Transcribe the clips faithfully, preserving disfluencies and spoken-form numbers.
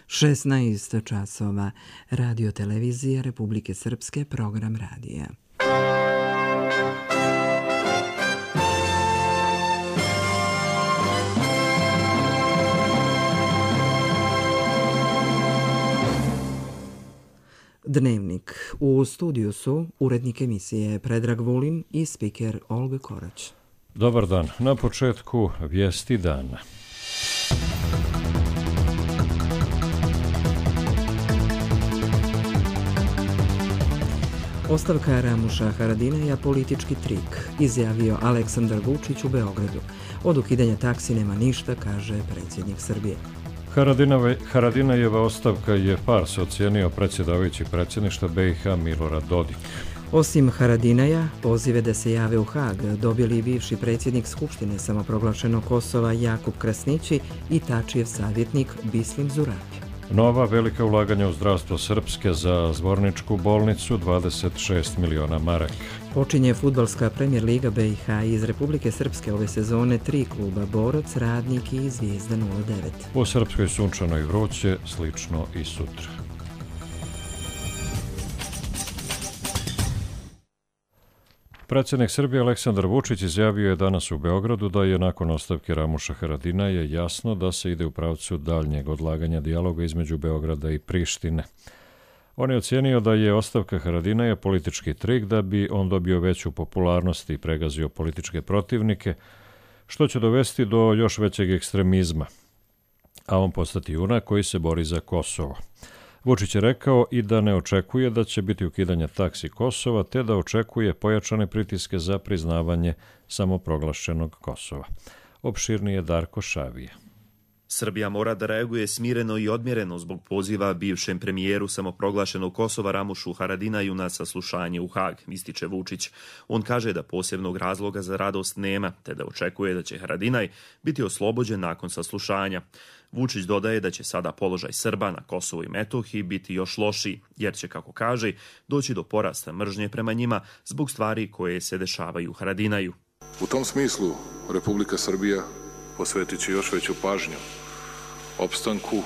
šesnaest časova. Radio televizija Republike Srpske, program radija. Dnevnik. U studiju su urednik emisije Predrag Vulin i spiker Olga Korać. Dobar dan. Na početku vijesti dana. Ostavka Ramuša Haradinaja politički trik, izjavio Aleksandar Vučić u Beogradu. Od ukidanja taksi nema ništa, kaže predsjednik Srbije. Haradinajeva ostavka je fars, ocijenio predsjedavajući predsjedništva B i H Milorad Dodik. Osim Haradinaja, pozive da se jave u Hag dobili i bivši predsjednik Skupštine samoproglašenog Kosova Jakub Krasnići i Tačijev savjetnik Bislim Zurabi. Nova velika ulaganja u zdravstvo Srpske za Zvorničku bolnicu, dvadeset šest miliona maraka. Počinje fudbalska Premier Liga B i H. Iz Republike Srpske ove sezone tri kluba: Borac, Radnik i Zvijezda nula devet. U Srpskoj sunčano i vruće, slično i sutra. Predsjednik Srbije Aleksandar Vučić izjavio je danas u Beogradu da je nakon ostavke Ramuša Haradinaja jasno da se ide u pravcu daljnjeg odlaganja dijaloga između Beograda i Prištine. On je ocijenio da je ostavka Haradinaja politički trik da bi on dobio veću popularnost i pregazio političke protivnike, što će dovesti do još većeg ekstremizma, a on postati junak koji se bori za Kosovo. Vučić je rekao i da ne očekuje da će biti ukidanja taksi Kosova, te da očekuje pojačane pritiske za priznavanje samoproglašenog Kosova. Opširnije Darko Šavije. Srbija mora da reaguje smireno i odmjereno zbog poziva bivšem premijeru samoproglašenog Kosova Ramušu Haradinaju na saslušanje u Hag, ističe Vučić. On kaže da posebnog razloga za radost nema, te da očekuje da će Haradinaj biti oslobođen nakon saslušanja. Vučić dodaje da će sada položaj Srba na Kosovu i Metohiji biti još lošiji, jer će, kako kaže, doći do porasta mržnje prema njima zbog stvari koje se dešavaju Haradinaju. U tom smislu Republika Srbija posvetit će još veću pažnju opstanku,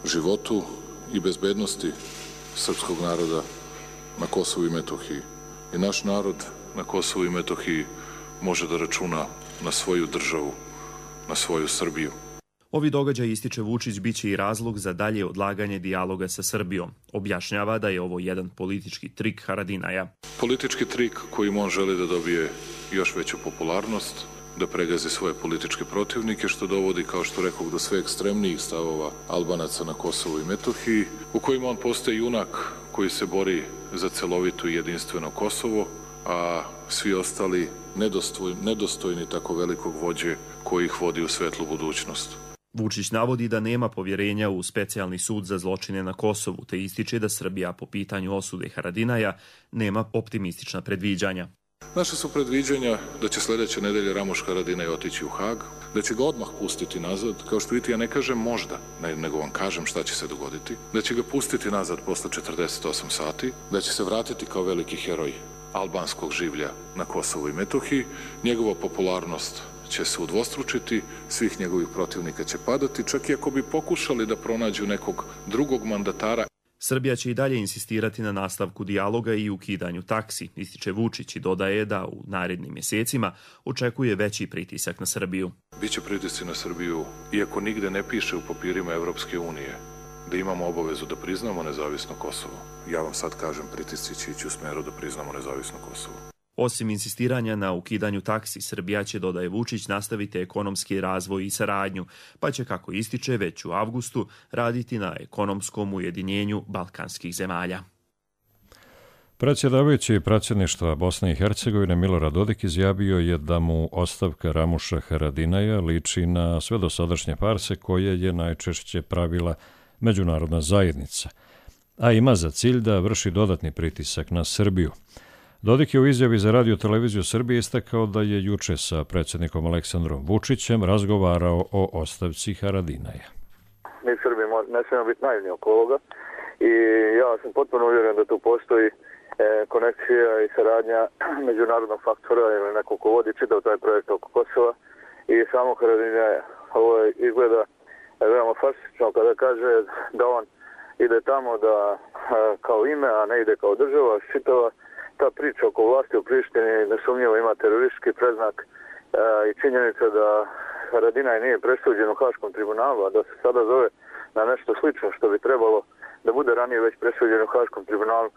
životu i bezbednosti srpskog naroda na Kosovu i Metohiji. I naš narod na Kosovu i Metohiji može da računa na svoju državu, na svoju Srbiju. Ovi događaj, ističe Vučić, bit će i razlog za dalje odlaganje dijaloga sa Srbijom. Objašnjava da je ovo jedan politički trik Haradinaja. Politički trik kojim on želi da dobije još veću popularnost, da pregazi svoje političke protivnike, što dovodi, kao što rekao, do sve ekstremnijih stavova Albanaca na Kosovu i Metohiji, u kojima on postaje junak koji se bori za celovito i jedinstveno Kosovo, a svi ostali nedostojni, nedostojni tako velikog vođe koji ih vodi u svetlu budućnost. Vučić navodi da nema povjerenja u specijalni sud za zločine na Kosovu, te ističe da Srbija po pitanju osude Haradinaja nema optimistična predviđanja. Naše su predviđanja da će sljedeće nedelje Ramuš Haradinaj otići u Hag, da će ga odmah pustiti nazad, kao što vidite, ja ne kažem možda, nego vam kažem šta će se dogoditi, da će ga pustiti nazad posle četrdeset osam sati, da će se vratiti kao veliki heroj albanskog življa na Kosovu i Metohiji, njegova popularnost će se udvostručiti, svih njegovih protivnika će padati, čak i ako bi pokušali da pronađu nekog drugog mandatara. Srbija će i dalje insistirati na nastavku dijaloga i ukidanju taksi, ističe Vučić i dodaje da u narednim mjesecima očekuje veći pritisak na Srbiju. Biće pritisci na Srbiju, iako nigde ne piše u papirima Evropske unije da imamo obavezu da priznamo nezavisno Kosovo. Ja vam sad kažem, pritisci će ići u smeru da priznamo nezavisno Kosovo. Osim insistiranja na ukidanju taksi, Srbija će, dodaje Vučić, nastaviti ekonomski razvoj i saradnju, pa će, kako ističe, već u avgustu raditi na ekonomskom ujedinjenju balkanskih zemalja. Predsjedavajući predsjedništva Bosne i Hercegovine Milorad Dodik izjavio je da mu ostavka Ramuša Haradinaja liči na sve dosadašnje farse koje je najčešće pravila međunarodna zajednica, a ima za cilj da vrši dodatni pritisak na Srbiju. Dodik je u izjavi za Radio televiziju Srbije istakao da je juče sa predsjednikom Aleksandrom Vučićem razgovarao o ostavci Haradinaja. Mi Srbi ne smijemo biti naivni oko ovoga i ja sam potpuno uvjeren da tu postoji konekcija i saradnja međunarodnog faktora ili neko ko vodi čitav taj projekt oko Kosova i samo Haradinaja. Ovo izgleda veoma farsično kada kaže da on ide tamo da kao ime, a ne ide kao država. Čitava ta priča oko vlasti u Prištini nesumnjivo ima teroristički predznak i činjenica da Haradinaj nije presuđen u Haškom tribunalu, a da se sada zove na nešto slično što bi trebalo da bude ranije već presuđen u Haškom tribunalu,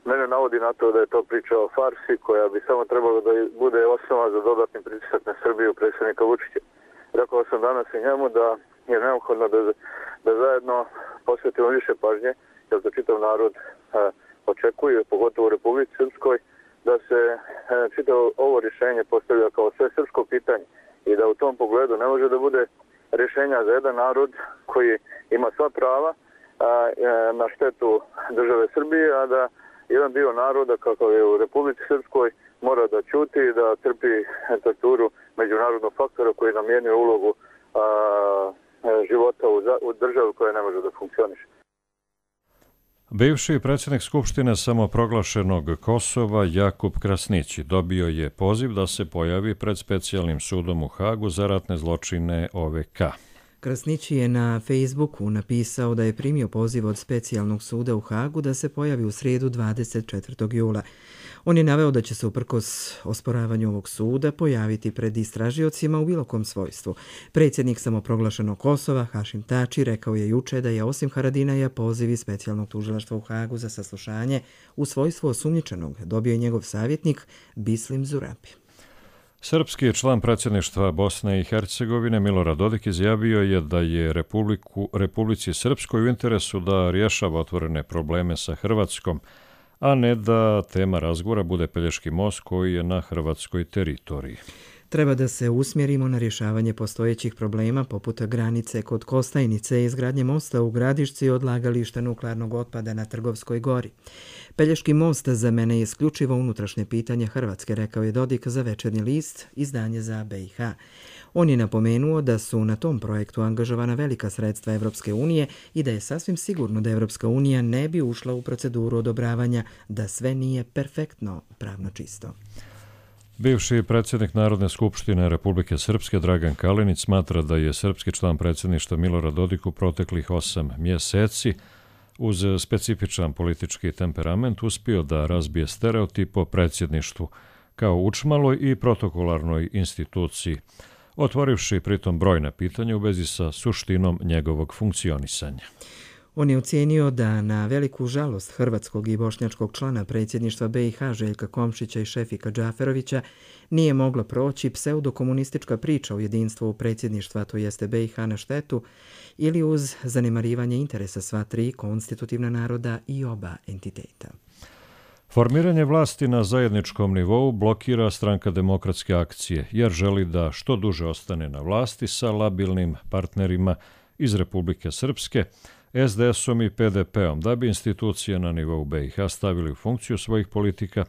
mene navodi na to da je to priča o farsi koja bi samo trebalo da bude osnova za dodatni pritisak na Srbiju predsjednika Vučića. Rekao sam danas i njemu da je neophodno da, da zajedno posvetimo više pažnje, jer to čitav narod e, očekuje, pogotovo u Republici Srpskoj, da se e, čitavo ovo rješenje postavlja kao sve srpsko pitanje i da u tom pogledu ne može da bude rješenja za jedan narod koji ima sva prava a, e, na štetu države Srbije, a da jedan dio naroda, kako je u Republici Srpskoj, mora da ćuti i da trpi torturu međunarodnog faktora koji namjenjuje ulogu a, života u, u državi koja ne može da funkcioniše. Bivši predsjednik Skupštine samoproglašenog Kosova Jakub Krasnići dobio je poziv da se pojavi pred specijalnim sudom u Hagu za ratne zločine O V K. Krasnići je na Facebooku napisao da je primio poziv od specijalnog suda u Hagu da se pojavi u srijedu dvadeset četvrtog jula. On je naveo da će se uprkos osporavanju ovog suda pojaviti pred istražiocima u bilo kom svojstvu. Predsjednik samoproglašenog Kosova, Hašim Tači, rekao je juče da je osim Haradinaja poziv iz specijalnog tužilaštva u Hagu za saslušanje u svojstvu osumnjičenog dobio i njegov savjetnik Bislim Zurabi. Srpski član predsjedništva Bosne i Hercegovine Milorad Dodik izjavio je da je Republiku, Republici Srpskoj u interesu da rješava otvorene probleme sa Hrvatskom, a ne da tema razgovora bude Pelješki most koji je na hrvatskoj teritoriji. Treba da se usmjerimo na rješavanje postojećih problema poput granice kod Kostajnice i izgradnje mosta u Gradišci i odlagališta nuklearnog otpada na Trgovskoj gori. Pelješki most za mene je isključivo unutrašnje pitanje Hrvatske, rekao je Dodik za Večernji list, izdanje za B i H. On je napomenuo da su na tom projektu angažovana velika sredstva Evropske unije i da je sasvim sigurno da Evropska unija ne bi ušla u proceduru odobravanja da sve nije perfektno pravno čisto. Bivši predsjednik Narodne skupštine Republike Srpske Dragan Kalinić smatra da je srpski član predsjedništva Milorad Dodik u proteklih osam mjeseci uz specifičan politički temperament uspio da razbije stereotip o predsjedništvu kao učmaloj i protokolarnoj instituciji, otvorivši pritom brojna pitanja u vezi sa suštinom njegovog funkcionisanja. On je ocijenio da na veliku žalost hrvatskog i bošnjačkog člana predsjedništva B i H Željka Komšića i Šefika Džaferovića nije mogla proći pseudokomunistička priča o jedinstvu predsjedništva, to jeste B i H na štetu, ili uz zanemarivanje interesa sva tri konstitutivna naroda i oba entiteta. Formiranje vlasti na zajedničkom nivou blokira Stranka demokratske akcije, jer želi da što duže ostane na vlasti sa labilnim partnerima iz Republike Srpske, S D S-om i P D P-om, da bi institucije na nivou B i H stavili u funkciju svojih politika,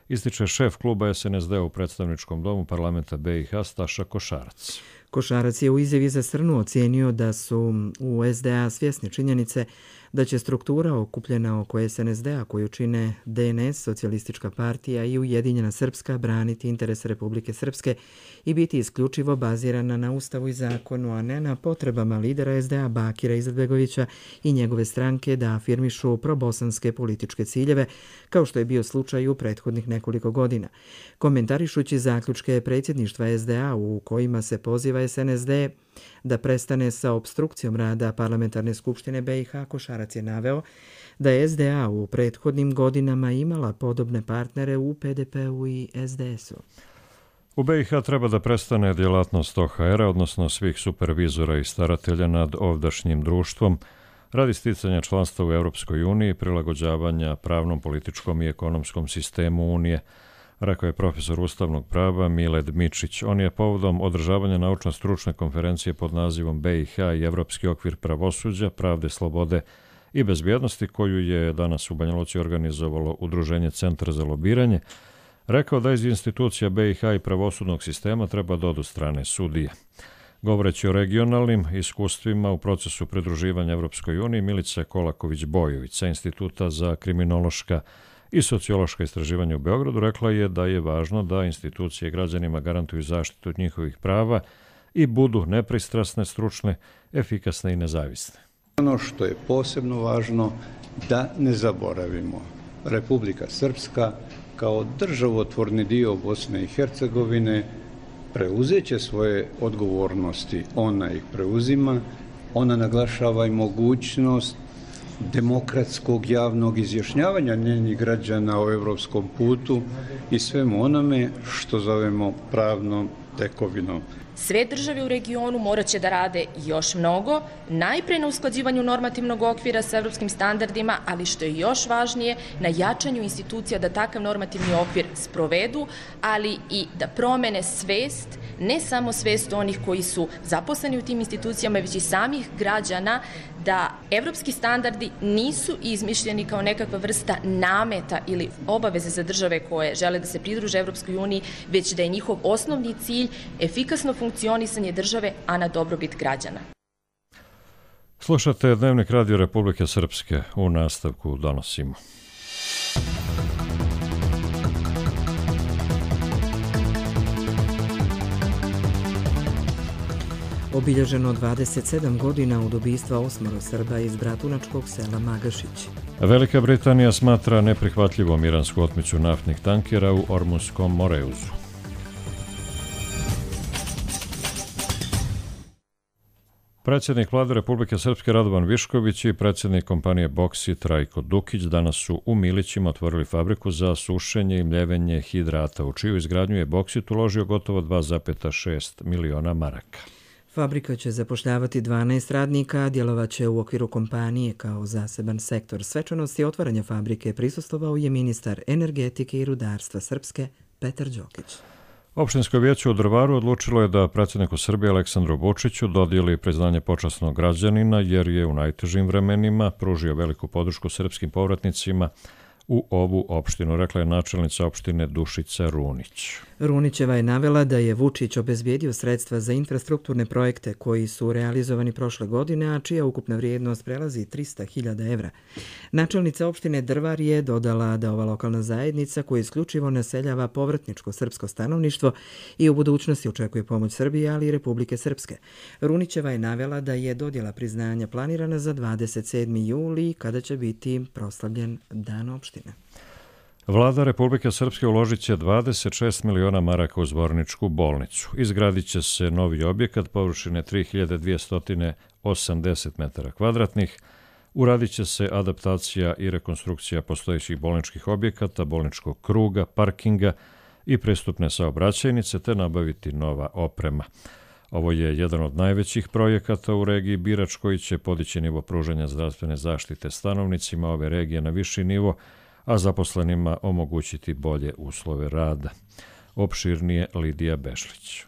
ističe šef kluba S N S D u predstavničkom domu parlamenta B i H Staša Košarac. Košarac je u izjavi za Srnu ocijenio da su u S D A svjesni činjenice da će struktura okupljena oko S N S D-a koju čine D N S, Socijalistička partija i Ujedinjena Srpska braniti interese Republike Srpske i biti isključivo bazirana na Ustavu i zakonu, a ne na potrebama lidera S D A Bakira Izetbegovića i njegove stranke da afirmišu probosanske političke ciljeve, kao što je bio slučaj u prethodnih nekoliko godina. Komentarišući zaključke predsjedništva S D A u kojima se poziva S N S D da prestane sa opstrukcijom rada Parlamentarne skupštine B i H, Košarac je naveo da je S D A u prethodnim godinama imala podobne partnere u P D P-u i S D S-u. U B i H treba da prestane djelatnost O H R-a, odnosno svih supervizora i staratelja nad ovdašnjim društvom, radi sticanja članstva u Europskoj uniji, prilagođavanja pravnom, političkom i ekonomskom sistemu Unije, rekao je profesor ustavnog prava Miled Mičić. On je povodom održavanja naučno-stručne konferencije pod nazivom B i H i Evropski okvir pravosuđa, pravde, slobode i bezbjednosti, koju je danas u Banja Luci organizovalo Udruženje Centar za lobiranje, rekao da iz institucija B i H i pravosudnog sistema treba da odu strane sudije. Govoreći o regionalnim iskustvima u procesu pridruživanja Evropskoj uniji, Milica Kolaković-Bojović sa Instituta za kriminološka i sociološka istraživanja u Beogradu rekla je da je važno da institucije građanima garantuju zaštitu njihovih prava i budu nepristrasne, stručne, efikasne i nezavisne. Ono što je posebno važno da ne zaboravimo, Republika Srpska kao državotvorni dio Bosne i Hercegovine preuzet će svoje odgovornosti. Ona ih preuzima, ona naglašava i mogućnost demokratskog javnog izjašnjavanja njenih građana o evropskom putu i svemu onome što zovemo pravnom tekovinom. Sve države u regionu morat će da rade još mnogo, najpre na usklađivanju normativnog okvira sa evropskim standardima, ali što je još važnije, na jačanju institucija da takav normativni okvir sprovedu, ali i da promene svest, ne samo svest onih koji su zaposleni u tim institucijama, već i samih građana, da evropski standardi nisu izmišljeni kao nekakva vrsta nameta ili obaveze za države koje žele da se pridruže Evropskoj uniji, već da je njihov osnovni cilj efikasno funkcionisanje države, a na dobrobit građana. Slušate Dnevnik Radio Republike Srpske. U nastavku donosimo. Obilježeno dvadeset sedam godina od ubistva osmoro Srba iz bratunačkog sela Magašić. Velika Britanija smatra neprihvatljivom iransku otmicu naftnih tankera u Ormunskom Moreuzu. Predsjednik Vlade Republike Srpske Radovan Višković i predsjednik kompanije Boksit Trajko Dukić danas su u Milićima otvorili fabriku za sušenje i mljevenje hidrata, u čiju izgradnju je Boksit uložio gotovo dva zarez šest miliona maraka. Fabrika će zapošljavati dvanaest radnika, a djelovaće u okviru kompanije kao zaseban sektor. Svečanosti otvaranja fabrike prisustvovao je ministar energetike i rudarstva Srpske Petar Đokić. Opštinsko vijeće u Drvaru odlučilo je da predsjedniku Srbije Aleksandru Vučiću dodijeli priznanje počasnog građanina jer je u najtežim vremenima pružio veliku podršku srpskim povratnicima u ovu opštinu, rekla je načelnica opštine Dušica Runić. Runićeva je navela da je Vučić obezbijedio sredstva za infrastrukturne projekte koji su realizovani prošle godine, a čija ukupna vrijednost prelazi trista hiljada evra. Načelnica opštine Drvar je dodala da ova lokalna zajednica koja isključivo naseljava povratničko srpsko stanovništvo i u budućnosti očekuje pomoć Srbije, ali i Republike Srpske. Runićeva je navela da je dodjela priznanja planirana za dvadeset sedmi juli kada će biti proslavljen Dan opštine. Vlada Republike Srpske uložit će dvadeset šest miliona maraka u Zvorničku bolnicu. Izgradit će se novi objekat površine tri hiljade dvjesto osamdeset metara kvadratnih. Uradit će se adaptacija i rekonstrukcija postojećih bolničkih objekata, bolničkog kruga, parkinga i pristupne saobraćajnice te nabaviti nova oprema. Ovo je jedan od najvećih projekata u regiji Birač koji će podići nivo pružanja zdravstvene zaštite stanovnicima ove regije na viši nivo, a zaposlenima omogućiti bolje uslove rada. Opširnije Lidija Bešlić.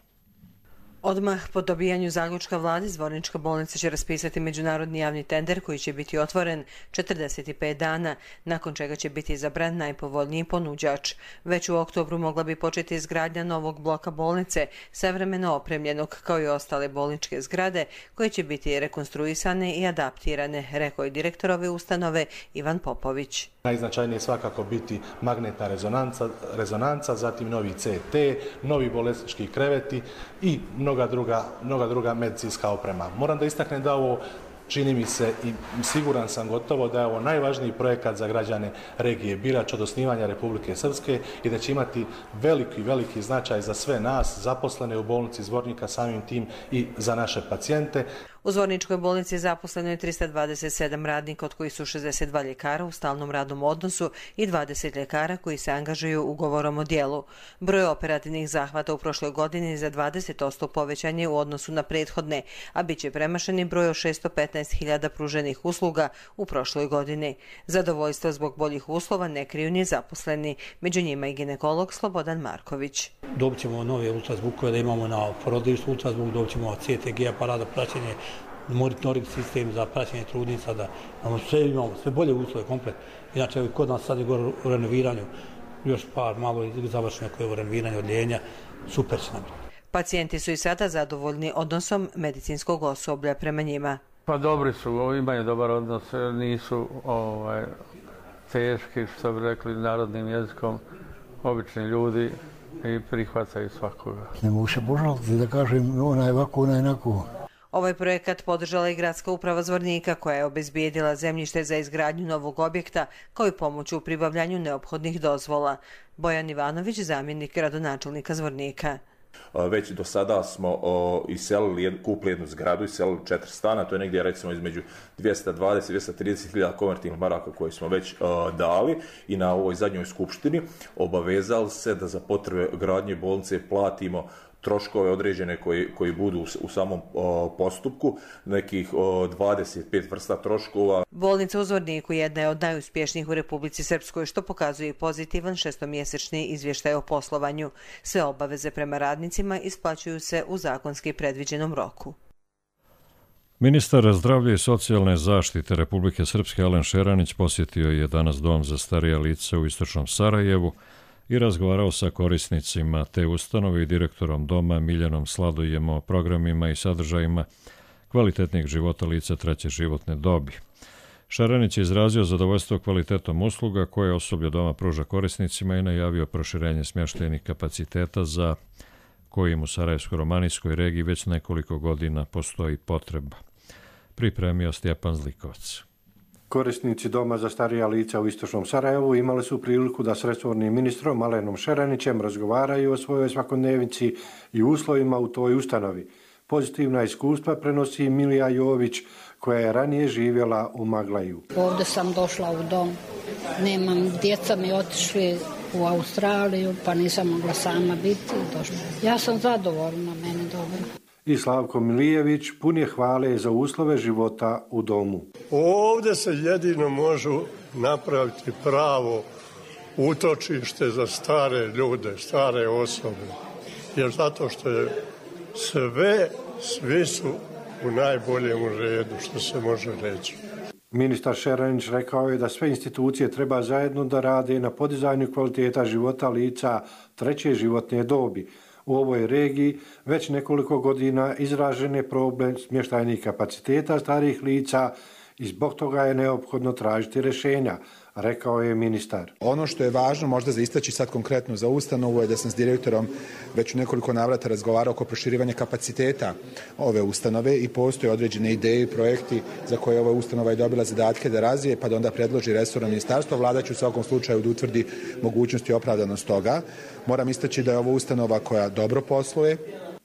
Odmah po dobijanju zaključka vlade, Zvornička bolnica će raspisati međunarodni javni tender koji će biti otvoren četrdeset pet dana, nakon čega će biti izabran najpovoljniji ponuđač. Već u oktobru mogla bi početi izgradnja novog bloka bolnice, savremeno opremljenog kao i ostale bolničke zgrade, koje će biti rekonstruisane i adaptirane, rekao je direktor ove ustanove Ivan Popović. Najznačajnije je svakako biti magnetna rezonanca, rezonanca, zatim novi C T, novi bolesnički kreveti i mnoga druga, mnoga druga medicinska oprema. Moram da istaknem da ovo čini mi se i siguran sam gotovo da je ovo najvažniji projekat za građane regije Birač od osnivanja Republike Srpske i da će imati veliki, veliki značaj za sve nas zaposlene u bolnici Zvornika, samim tim i za naše pacijente. U Zvorničkoj bolnici zaposleno je trista dvadeset sedam radnika, od kojih su šezdeset dva ljekara u stalnom radnom odnosu i dvadeset ljekara koji se angažuju ugovorom o dijelu. Broj operativnih zahvata u prošloj godini za dvadeset posto povećan je u odnosu na prethodne, a bit će premašeni broj od šesto petnaest hiljada pruženih usluga u prošloj godini. Zadovoljstvo zbog boljih uslova ne kriju ni zaposleni, među njima i ginekolog Slobodan Marković. Dobit ćemo nove ultrazvukove da imamo na porodilištu ultrazvuk, dobit ćemo C T G aparat za praćenje, monitoring sistem za praćenje trudnica, da imamo sve, imamo sve bolje uslove komplet. Inače, kod nas sad je gore u renoviranju, još par malo završeno koje je u renoviranju odljenja, super će nam. Pacijenti su i sada zadovoljni odnosom medicinskog osoblja prema njima. Pa dobri su, imaju dobar odnos, nisu ovaj, teški, što bi rekli narodnim jezikom, obični ljudi i prihvataju svakoga. Ne mogu se požaliti da kažem ona je ovako, ona je onako. Ovaj projekat podržala i Gradska uprava Zvornika koja je obezbijedila zemljište za izgradnju novog objekta kao i pomoć u pribavljanju neophodnih dozvola. Bojan Ivanović, zamjenik gradonačelnika Zvornika. Već do sada smo iselili, kupili jednu zgradu, iselili četiri stana, to je negdje recimo između dvjesto dvadeset do dvjesto trideset hiljada konvertibilnih maraka koje smo već dali i na ovoj zadnjoj skupštini obavezali se da za potrebe gradnje bolnice platimo troškove određene koji, koji budu u, u samom o, postupku, nekih o, dvadeset pet vrsta troškova. Bolnica u Zvorniku jedna je od najuspješnijih u Republici Srpskoj, što pokazuje i pozitivan šestomjesečni izvještaj o poslovanju. Sve obaveze prema radnicima isplaćuju se u zakonski predviđenom roku. Ministar zdravlja i socijalne zaštite Republike Srpske Alen Šeranić posjetio je danas dom za starija lica u istočnom Sarajevu i razgovarao sa korisnicima te ustanove i direktorom doma Miljanom Sladojem o programima i sadržajima kvalitetnih života lica treće životne dobi. Šaranić je izrazio zadovoljstvo kvalitetom usluga koje osoblje doma pruža korisnicima i najavio proširenje smještajnih kapaciteta za kojim u Sarajevsko-romanijskoj regiji već nekoliko godina postoji potreba. Pripremio Stjepan Zlikovac. Korisnici doma za starija lica u istočnom Sarajevu imali su priliku da s resornim ministrom Alenom Šeranićem razgovaraju o svojoj svakodnevici i uslovima u toj ustanovi. Pozitivna iskustva prenosi Milija Jović, koja je ranije živjela u Maglaju. Ovdje sam došla u dom, nemam, djeca mi otišli u Australiju, pa nisam mogla sama biti. Došla. Ja sam zadovoljna, meni dobro. I Slavko Milijević pun je hvale za uslove života u domu. Ovdje se jedino može napraviti pravo utočište za stare ljude, stare osobe. Jer zato što je sve, svi su u najboljem redu, što se može reći. Ministar Šeranić rekao je da sve institucije treba zajedno da rade na podizanju kvaliteta života lica treće životne dobi. U ovoj regiji već nekoliko godina izražen je problem smještajnih kapaciteta starih lica i zbog toga je neophodno tražiti rješenja, rekao je ministar. Ono što je važno možda za istaći sad konkretno za ustanovu je da sam s direktorom već u nekoliko navrata razgovarao oko proširivanja kapaciteta ove ustanove i postoje određene ideje i projekti za koje ova ustanova je dobila zadatke da razvije, pa da onda predloži resorno ministarstvo. Vlada će u svakom slučaju da utvrdi mogućnosti i opravdanost toga. Moram istaći da je ovo ustanova koja dobro posluje.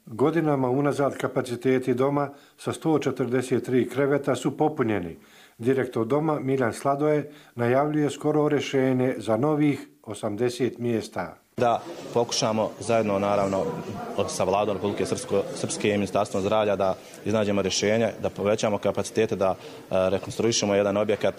Godinama unazad kapaciteti doma sa sto četrdeset tri kreveta su popunjeni. Direktor doma Miljan Sladoje najavljuje skoro rješenje za novih osamdeset mjesta. Da pokušamo zajedno, naravno, sa Vladom Republike Srpske i Ministarstvom zdravlja da iznađemo rješenje, da povećamo kapacitete, da rekonstruišemo jedan objekat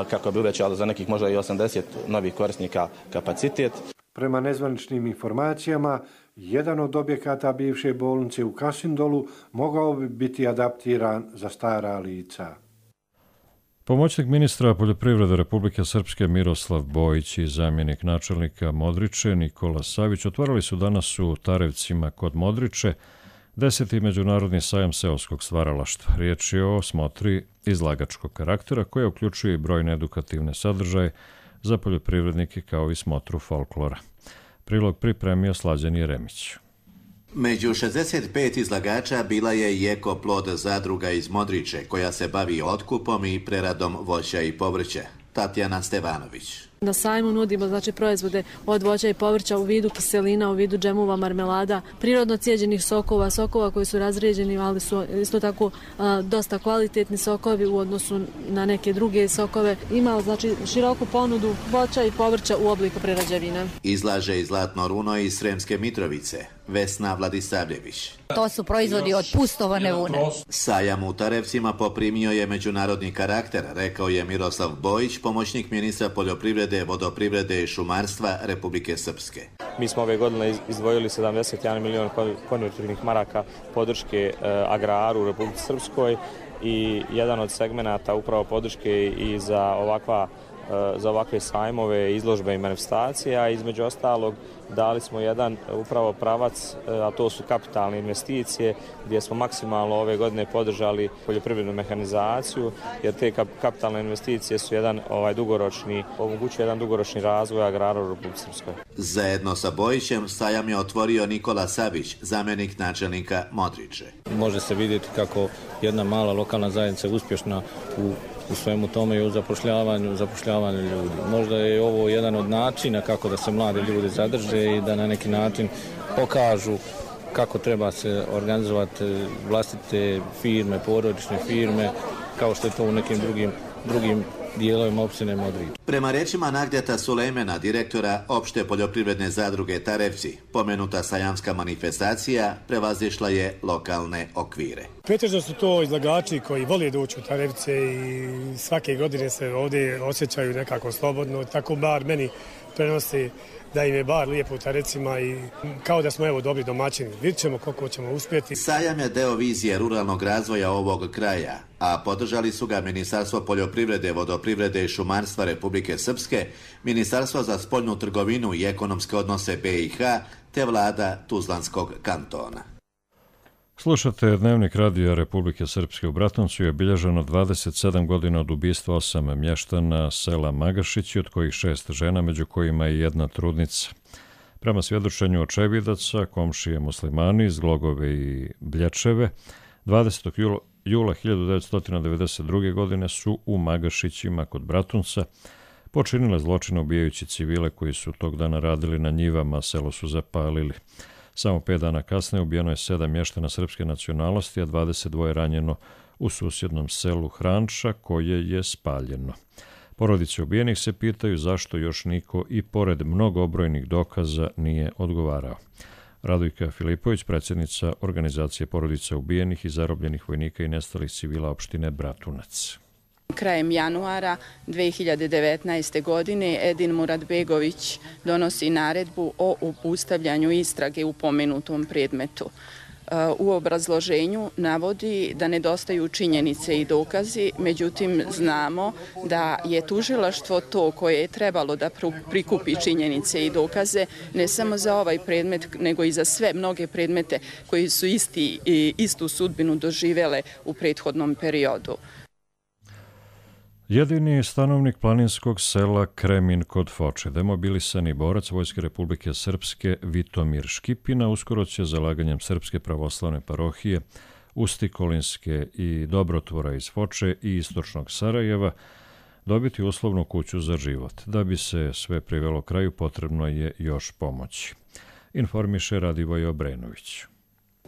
kako bi uvećali za nekih možda i osamdeset novih korisnika kapacitet. Prema nezvaničnim informacijama, jedan od objekata bivše bolnice u Kasindolu mogao bi biti adaptiran za stara lica. Pomoćnik ministra poljoprivrede Republike Srpske Miroslav Bojić i zamjenik načelnika Modriče Nikola Savić otvarali su danas u Tarevcima kod Modriče deseti međunarodni sajam seoskog stvaralaštva. Riječ je o smotri izlagačkog karaktera koja uključuje i brojne edukativne sadržaje za poljoprivrednike kao i smotru folklora. Prilog pripremio Slađan Jeremić. Među šezdeset pet izlagača bila je i Eko plod zadruga iz Modriče, koja se bavi otkupom i preradom voća i povrća. Tatjana Stevanović. Na sajmu nudimo znači proizvode od voća i povrća u vidu kiselina, u vidu džemova, marmelada, prirodno cijeđenih sokova, sokova koji su razrijeđeni, ali su isto tako a, dosta kvalitetni sokovi u odnosu na neke druge sokove. Ima znači široku ponudu voća i povrća u obliku prerađevina. Izlaže i Zlatno runo iz Sremske Mitrovice, Vesna Vladisavljević. To su proizvodi od pustovane vune. Sajam u Tarevcima poprimio je međunarodni karakter, rekao je Miroslav Bojić, pomoćnik ministra poljoprivrede, vodoprivrede i šumarstva Republike Srpske. Mi smo ove godine izdvojili sedamdeset jedan milion konvertibilnih maraka podrške e, agraru u Republike Srpskoj i jedan od segmenata upravo podrške i za ovakva za ovakve sajmove, izložbe i manifestacije, a između ostalog dali smo jedan upravo pravac, a to su kapitalne investicije, gdje smo maksimalno ove godine podržali poljoprivrednu mehanizaciju, jer te kapitalne investicije su jedan ovaj dugoročni, omogućuje jedan dugoročni razvoj agrara u Republici Srpskoj. Zajedno sa Bojićem sajam je otvorio Nikola Savić, zamjenik načelnika Modriče. Može se vidjeti kako jedna mala lokalna zajednica je uspješna u u svemu tome i u zapošljavanju, zapošljavanju ljudi. Možda je ovo jedan od načina kako da se mladi ljudi zadrže i da na neki način pokažu kako treba se organizovati vlastite firme, porodične firme, kao što je to u nekim drugim, drugim dijelovima opštine Modrič. Prema rečima Nagdeta Sulejmena, direktora opšte poljoprivredne zadruge Tarevci, pomenuta sajamska manifestacija prevazišla je lokalne okvire. Pretežno su to izlagači koji vole doći u Tarevce i svake godine se ovdje osjećaju nekako slobodno, tako bar meni prenosi da im je bar lijepo u Tarecima i kao da smo evo dobri domaćini. Vidjet ćemo koliko ćemo uspjeti. Sajam je deo vizije ruralnog razvoja ovog kraja, a podržali su ga Ministarstvo poljoprivrede, vodoprivrede i šumarstva Republike Srpske, Ministarstvo za spoljnu trgovinu i ekonomske odnose B i H, te vlada Tuzlanskog kantona. Slušate Dnevnik radija Republike Srpske. U Bratuncu je obilježeno dvadeset sedam godina od ubistva osam mještana sela Magašići, od kojih šest žena, među kojima i jedna trudnica. Prema svjedočenju očevidaca, komšije muslimani iz Glogove i Blječeve, dvadesetog jula hiljadu devetsto devedeset druge. godine su u Magašićima kod Bratunca počinile zločine ubijajući civile koji su tog dana radili na njivama, selo su zapalili. Samo pet dana kasnije ubijeno je sedam mještana srpske nacionalnosti, a dvadeset dva ranjeno u susjednom selu Hranča, koje je spaljeno. Porodice ubijenih se pitaju zašto još niko i pored mnogobrojnih dokaza nije odgovarao. Radojka Filipović, predsjednica organizacije porodica ubijenih i zarobljenih vojnika i nestalih civila opštine Bratunac. Krajem januara dve hiljade devetnaeste. godine Edin Muratbegović donosi naredbu o obustavljanju istrage u pomenutom predmetu. U obrazloženju navodi da nedostaju činjenice i dokazi, međutim znamo da je tužilaštvo to koje je trebalo da prikupi činjenice i dokaze ne samo za ovaj predmet, nego i za sve mnoge predmete koji su isti, istu sudbinu doživele u prethodnom periodu. Jedini stanovnik planinskog sela Kremin kod Foče, demobilisani borac Vojske Republike Srpske Vitomir Škipina, uskoro će zalaganjem Srpske pravoslavne parohije, Ustikolinske i Dobrotvora iz Foče i istočnog Sarajeva dobiti uslovnu kuću za život. Da bi se sve privelo kraju, potrebno je još pomoći, informiše Radivoj Obrenović.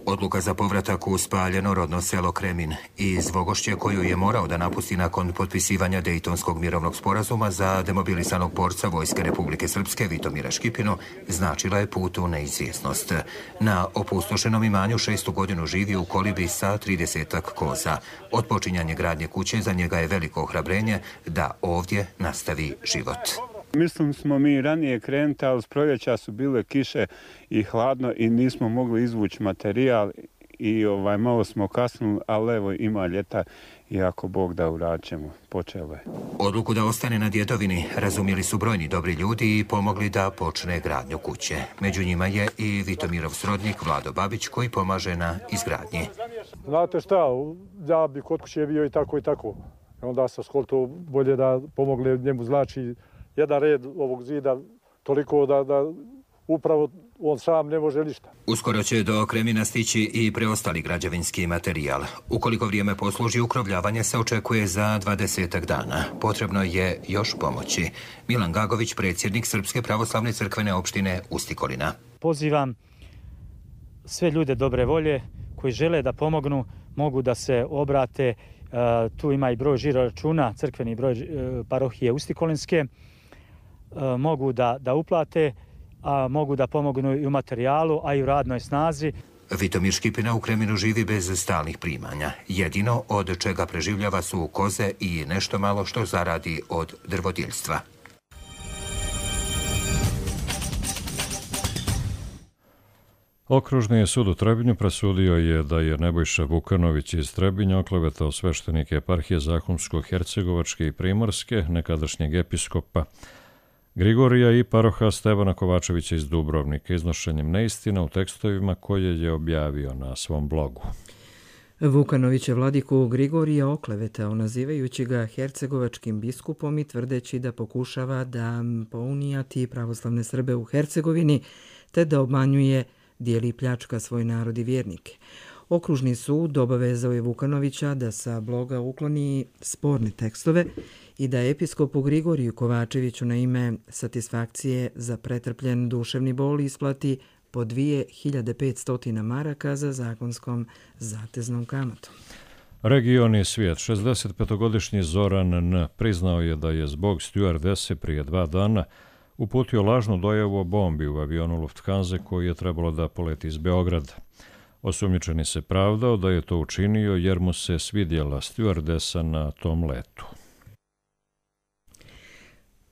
Odluka za povratak u spaljeno rodno selo Kremin iz Vogošće, koju je morao da napusti nakon potpisivanja Dejtonskog mirovnog sporazuma za demobilisanog borca Vojske Republike Srpske Vitomira Škipinu, značila je put u neizvjesnost. Na opustošenom imanju šestu godinu živi u kolibi sa tridesetak koza. Od počinjanja gradnje kuće za njega je veliko ohrabrenje da ovdje nastavi život. Mislim smo mi ranije krenuti, ali s proljeća su bile kiše i hladno i nismo mogli izvući materijal i ovaj, malo smo kasnili, ali evo ima ljeta i ako Bog da uraćemo, počelo je. Odluku da ostane na djedovini razumjeli su brojni dobri ljudi i pomogli da počne gradnju kuće. Među njima je i Vitomirov srodnik Vlado Babić koji pomaže na izgradnji. Znate šta, ja bi kod kuće bio i tako i tako. Onda sam skolto bolje da pomogle njemu, znači jedan red ovog zida toliko da, da upravo on sam ne može ništa. Uskoro će do Kremina stići i preostali građevinski materijal. Ukoliko vrijeme posluži, ukrovljavanje se očekuje za dvadesetak dana. Potrebno je još pomoći. Milan Gagović, predsjednik Srpske pravoslavne crkvene opštine Ustikolina. Pozivam sve ljude dobre volje koji žele da pomognu, mogu da se obrate. Tu ima i broj žiroračuna, crkveni broj parohije Ustikolinske. Mogu da, da uplate, a mogu da pomognu i u materijalu, a i u radnoj snazi. Vitomir Škipina u Kreminu živi bez stalnih primanja. Jedino od čega preživljava su koze i nešto malo što zaradi od drvodjeljstva. Okružni sud u Trebinju presudio je da je Nebojša Vukanović iz Trebinja oklevetao sveštenike eparhije Zahumsko-Hercegovačke i Primorske, nekadašnjeg episkopa Grigorija i paroha Stevana Kovačevića iz Dubrovnika, iznošenjem neistina u tekstovima koje je objavio na svom blogu. Vukanović je vladiku Grigorija oklevetao, nazivajući ga hercegovačkim biskupom i tvrdeći da pokušava da pounijati pravoslavne Srbe u Hercegovini, te da obmanjuje, dijeli i pljačka svoj narod i vjernike. Okružni sud obavezao je Vukanovića da sa bloga ukloni sporne tekstove i da episkopu Grigoriju Kovačeviću na ime satisfakcije za pretrpljen duševni bol isplati po dvije hiljade petsto maraka za zakonskom zateznom kamatom. Region i svijet. šezdesetpetogodišnji Zoran N. priznao je da je zbog stjuardese prije dva dana uputio lažnu dojavu o bombi u avionu Lufthansa koji je trebalo da poleti iz Beograda. Osumnjičeni se pravdao da je to učinio jer mu se svidjela stjuardesa na tom letu.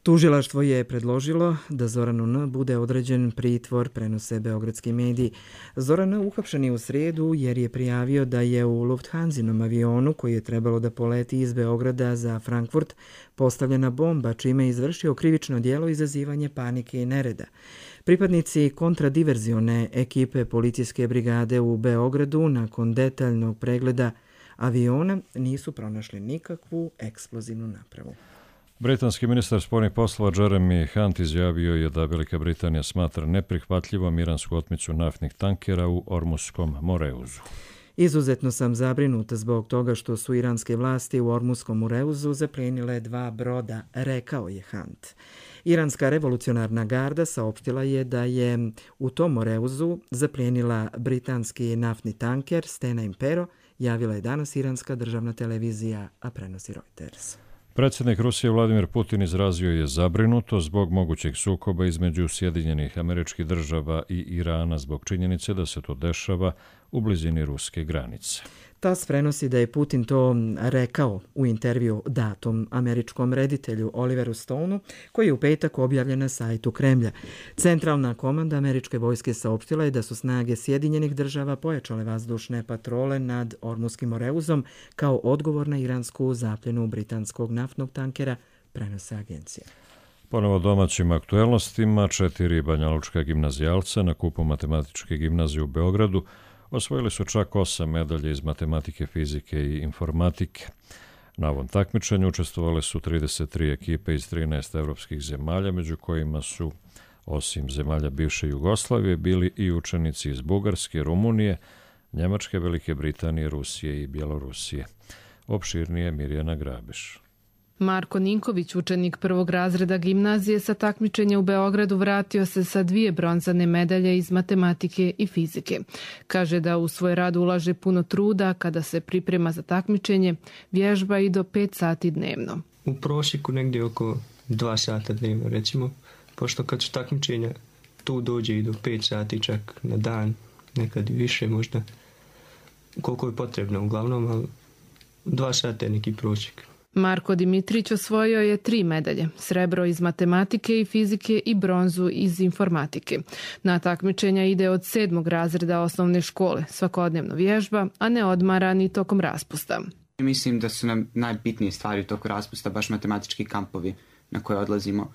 Tužilaštvo je predložilo da Zoranu N. bude određen pritvor, prenose beogradski mediji. Zoran N. uhapšen je u srijedu jer je prijavio da je u Lufthansinom avionu koji je trebalo da poleti iz Beograda za Frankfurt postavljena bomba, čime je izvršio krivično djelo izazivanje panike i nereda. Pripadnici kontradiverzione ekipe policijske brigade u Beogradu nakon detaljnog pregleda aviona nisu pronašli nikakvu eksplozivnu napravu. Britanski ministar spoljnih poslova Jeremy Hunt izjavio je da Velika Britanija smatra neprihvatljivom iransku otmicu naftnih tankera u Ormuskom Moreuzu. Izuzetno sam zabrinuta zbog toga što su iranske vlasti u Ormuskom Moreuzu zaplijenile dva broda, rekao je Hunt. Iranska revolucionarna garda saopštila je da je u tom Moreuzu zaplijenila britanski naftni tanker Stena Impero, javila je danas iranska državna televizija, a prenosi Reuters. Predsjednik Rusije Vladimir Putin izrazio je zabrinuto zbog mogućeg sukoba između Sjedinjenih Američkih Država i Irana zbog činjenice da se to dešava u blizini ruske granice. TAS prenosi da je Putin to rekao u intervju datom američkom reditelju Oliveru Stoneu, koji je u petak objavljen na sajtu Kremlja. Centralna komanda američke vojske saopštila je da su snage Sjedinjenih Država pojačale vazdušne patrole nad Ormuskim Moreuzom kao odgovor na iransku zapljenu britanskog naftnog tankera, prenose agencije. Ponovo domaćim aktuelnostima, četiri banjalučka gimnazijalca na kupu matematičke gimnazije u Beogradu osvojili su čak osam medalje iz matematike, fizike i informatike. Na ovom takmičenju učestvovale su trideset tri ekipe iz trinaest evropskih zemalja, među kojima su, osim zemalja bivše Jugoslavije, bili i učenici iz Bugarske, Rumunije, Njemačke, Velike Britanije, Rusije i Bjelorusije. Opširnije Mirjana Grabiš. Marko Ninković, učenik prvog razreda gimnazije sa takmičenja u Beogradu, vratio se sa dvije bronzane medalje iz matematike i fizike. Kaže da u svoj rad ulaže puno truda, kada se priprema za takmičenje, vježba i do pet sati dnevno. U prosjeku negdje oko dva sata dnevno, recimo, pošto kad su takmičenja tu dođe i do pet sati čak na dan, nekad i više možda, koliko je potrebno uglavnom, ali dva sata je neki prosjek. Marko Dimitrić osvojio je tri medalje, srebro iz matematike i fizike i bronzu iz informatike. Na takmičenja ide od sedmog razreda osnovne škole, svakodnevno vježba, a ne odmara ni tokom raspusta. Mislim da su nam najbitnije stvari u toku raspusta baš matematički kampovi na koje odlazimo,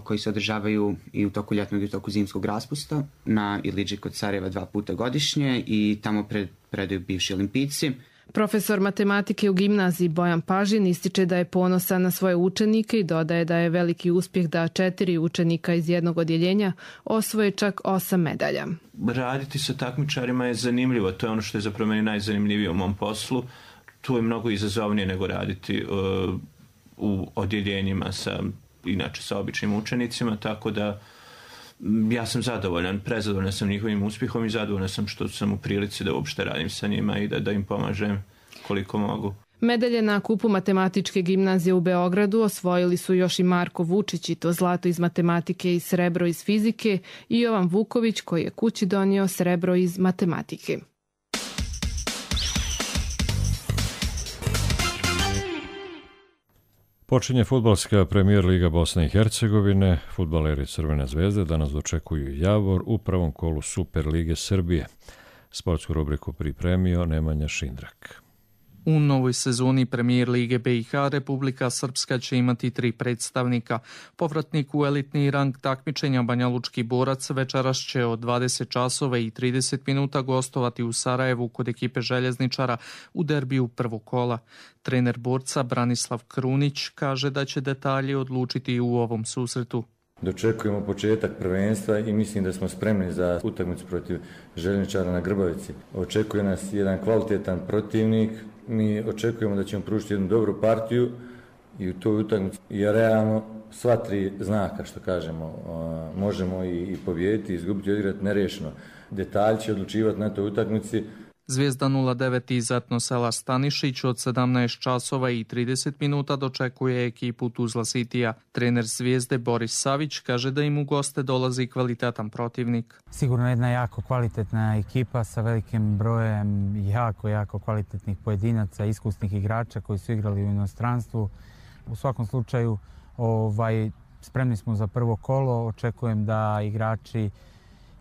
koji se održavaju i u toku ljetnog i u toku zimskog raspusta na Iliđi kod Sarajeva dva puta godišnje i tamo pred, predaju bivši olimpijci. Profesor matematike u gimnaziji Bojan Pažin ističe da je ponosan na svoje učenike i dodaje da je veliki uspjeh da četiri učenika iz jednog odjeljenja osvoje čak osam medalja. Raditi sa takmičarima je zanimljivo, to je ono što je zapravo meni najzanimljivije u mom poslu. Tu je mnogo izazovnije nego raditi uh, u odjeljenjima sa, inače sa običnim učenicima, tako da ja sam zadovoljan, prezadovoljan sam njihovim uspjehom i zadovoljan sam što sam u prilici da uopšte radim sa njima i da, da im pomažem koliko mogu. Medalje na kupu matematičke gimnazije u Beogradu osvojili su još i Marko Vučić, i to zlato iz matematike i srebro iz fizike, i Jovan Vuković koji je kući donio srebro iz matematike. Počinje fudbalska premijer Liga Bosne i Hercegovine. Fudbaleri Crvene zvezde danas dočekuju Javor u prvom kolu Super Lige Srbije. Sportsku rubriku pripremio Nemanja Šindrak. U novoj sezoni Premijer Lige B i H Republika Srpska će imati tri predstavnika. Povratnik u elitni rang takmičenja Banja Lučki borac večeras će od dvadeset časova i trideset minuta gostovati u Sarajevu kod ekipe željezničara u derbiju prvog kola. Trener borca Branislav Krunić kaže da će detalje odlučiti u ovom susretu. Dočekujemo početak prvenstva i mislim da smo spremni za utakmicu protiv željezničara na Grbavici. Očekuje nas jedan kvalitetan protivnik. Mi očekujemo da ćemo pružiti jednu dobru partiju i u toj utakmici je realno sva tri znaka, što kažemo, možemo i pobijediti, izgubiti, odigrati nerešeno. Detalj će odlučivati na toj utakmici. Zvijezda nula devet iz Etnosela Stanišić od sedamnaest časova i trideset minuta dočekuje ekipu Tuzla Citya. Trener Zvijezde Boris Savić kaže da im u goste dolazi kvalitetan protivnik. Sigurno jedna jako kvalitetna ekipa sa velikim brojem jako, jako kvalitetnih pojedinaca, iskusnih igrača koji su igrali u inostranstvu. U svakom slučaju ovaj, spremni smo za prvo kolo, očekujem da igrači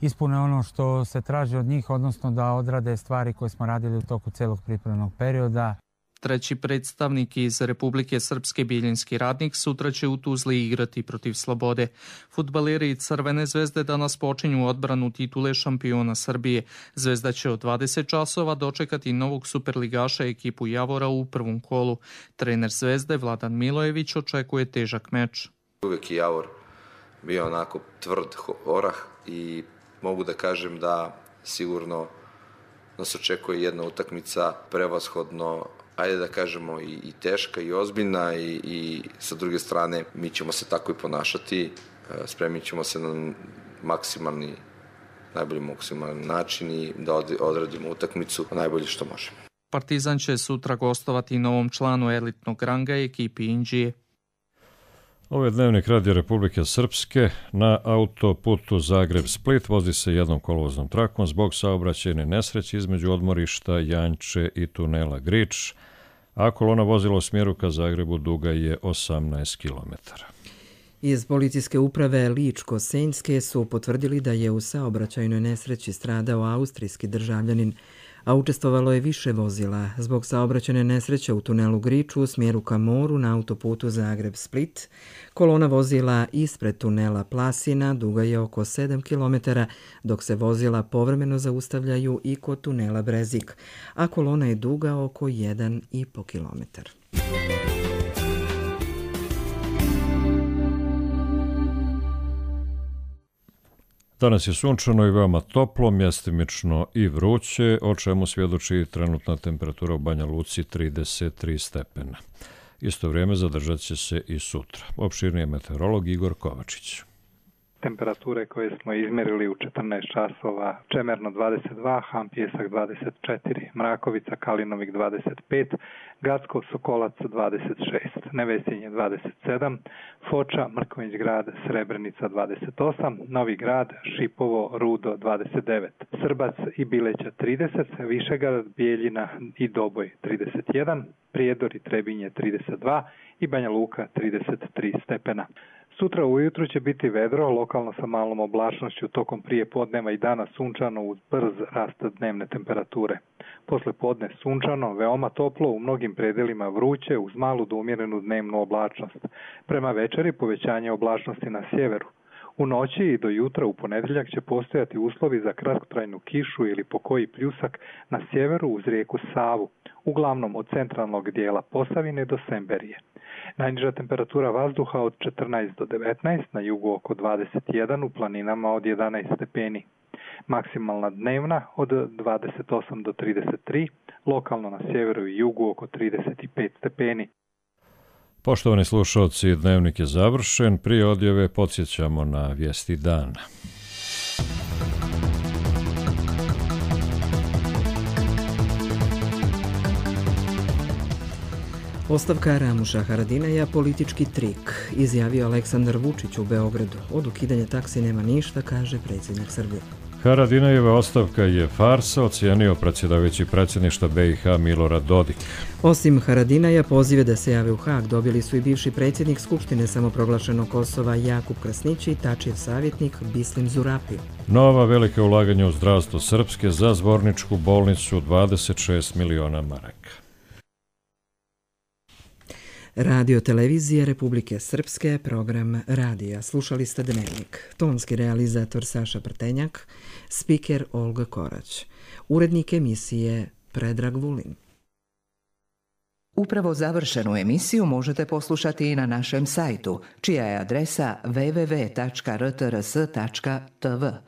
ispune ono što se traži od njih, odnosno da odrade stvari koje smo radili u toku celog pripremnog perioda. Treći predstavnik iz Republike Srpske Bijeljinski radnik sutra će u Tuzli igrati protiv Slobode. Fudbaleri Crvene zvezde danas počinju odbranu titule šampiona Srbije. Zvezda će od dvadeset časova dočekati novog superligaša ekipu Javora u prvom kolu. Trener Zvezde Vladan Milojević očekuje težak meč. Uvijek je Javor bio onako tvrd orah i mogu da kažem da sigurno nas očekuje jedna utakmica prevashodno, ajde da kažemo, i, i teška i ozbiljna i, i sa druge strane mi ćemo se tako i ponašati, spremit ćemo se na maksimalni, najbolji maksimalni način i da odradimo utakmicu najbolje što možemo. Partizan će sutra gostovati novom članu elitnog ranga ekipi Indije. Ovo je dnevnik Radija Republike Srpske. Na autoputu Zagreb-Split vozi se jednom kolovoznom trakom zbog saobraćajne nesreće između odmorišta Janče i tunela Grič, a kolona vozila u smjeru ka Zagrebu duga je osamnaest kilometara. Iz policijske uprave Ličko-Senjske su potvrdili da je u saobraćajnoj nesreći stradao austrijski državljanin, a učestvovalo je više vozila. Zbog saobraćajne nesreće u tunelu Griču u smjeru ka moru na autoputu Zagreb-Split, kolona vozila ispred tunela Plasina duga je oko sedam kilometara, dok se vozila povremeno zaustavljaju i kod tunela Brezik, a kolona je duga oko jedan i po kilometar. Danas je sunčano i veoma toplo, mjestimično i vruće, o čemu svjedoči trenutna temperatura u Banja Luci trideset tri stepena. Isto vrijeme zadržat će se i sutra. Opširnije meteorolog Igor Kovačić. Temperature koje smo izmjerili u četrnaest časova, Čemerno dvadeset dva, Hampjesak dvadeset četiri, Mrakovica, Kalinovik dvadeset pet, Gacko, Sokolac dvadeset šest, Nevesinje dvadeset sedam, Foča, Mrkonjić grad, Srebrenica dvadeset osam, Novi grad, Šipovo, Rudo dvadeset devet, Srbac i Bileća trideset, Višegrad, Bijeljina i Doboj trideset jedan, Prijedor i Trebinje trideset dva i Banja Luka trideset tri stepena. Sutra ujutru će biti vedro, lokalno sa malom oblačnošću, tokom prije podneva i dana sunčano uz brz rast dnevne temperature. Posle podne sunčano, veoma toplo, u mnogim predelima vruće uz malu do umjerenu dnevnu oblačnost. Prema večeri povećanje oblačnosti na sjeveru. U noći i do jutra u ponedjeljak će postojati uslovi za kratkotrajnu kišu ili pokoji pljusak na sjeveru uz rijeku Savu, uglavnom od centralnog dijela Posavine do Semberije. Najniža temperatura vazduha od četrnaest do devetnaest, na jugu oko dvadeset jedan, u planinama od jedanaest stepeni. Maksimalna dnevna od dvadeset osam do trideset tri, lokalno na sjeveru i jugu oko trideset pet stepeni. Poštovani slušalci, dnevnik je završen. Prije odjave podsjećamo na vijesti dana. Ostavka Ramuša Haradinaja politički trik, izjavio Aleksandar Vučić u Beogradu. Od ukidanja taksi nema ništa, kaže predsjednik Srbije. Haradinajeva ostavka je farsa, ocijenio predsjedavajući predsjedništva B i H Milorad Dodik. Osim Haradinaja, pozive da se jave u Haag dobili su i bivši predsjednik Skupštine samoproglašenog Kosova Jakub Krasnić i Tačijev savjetnik Bislim Zurapi. Nova velika ulaganja u zdravstvo Srpske za Zvorničku bolnicu dvadeset šest miliona maraka. Radio televizije Republike Srpske, program radija. Slušali ste Dnevnik. Tonski realizator Saša Prtenjak, spiker Olga Korać. Urednik emisije Predrag Vulin. Upravo završenu emisiju možete poslušati i na našem sajtu, čija je adresa w w w tačka r t r s tačka t v.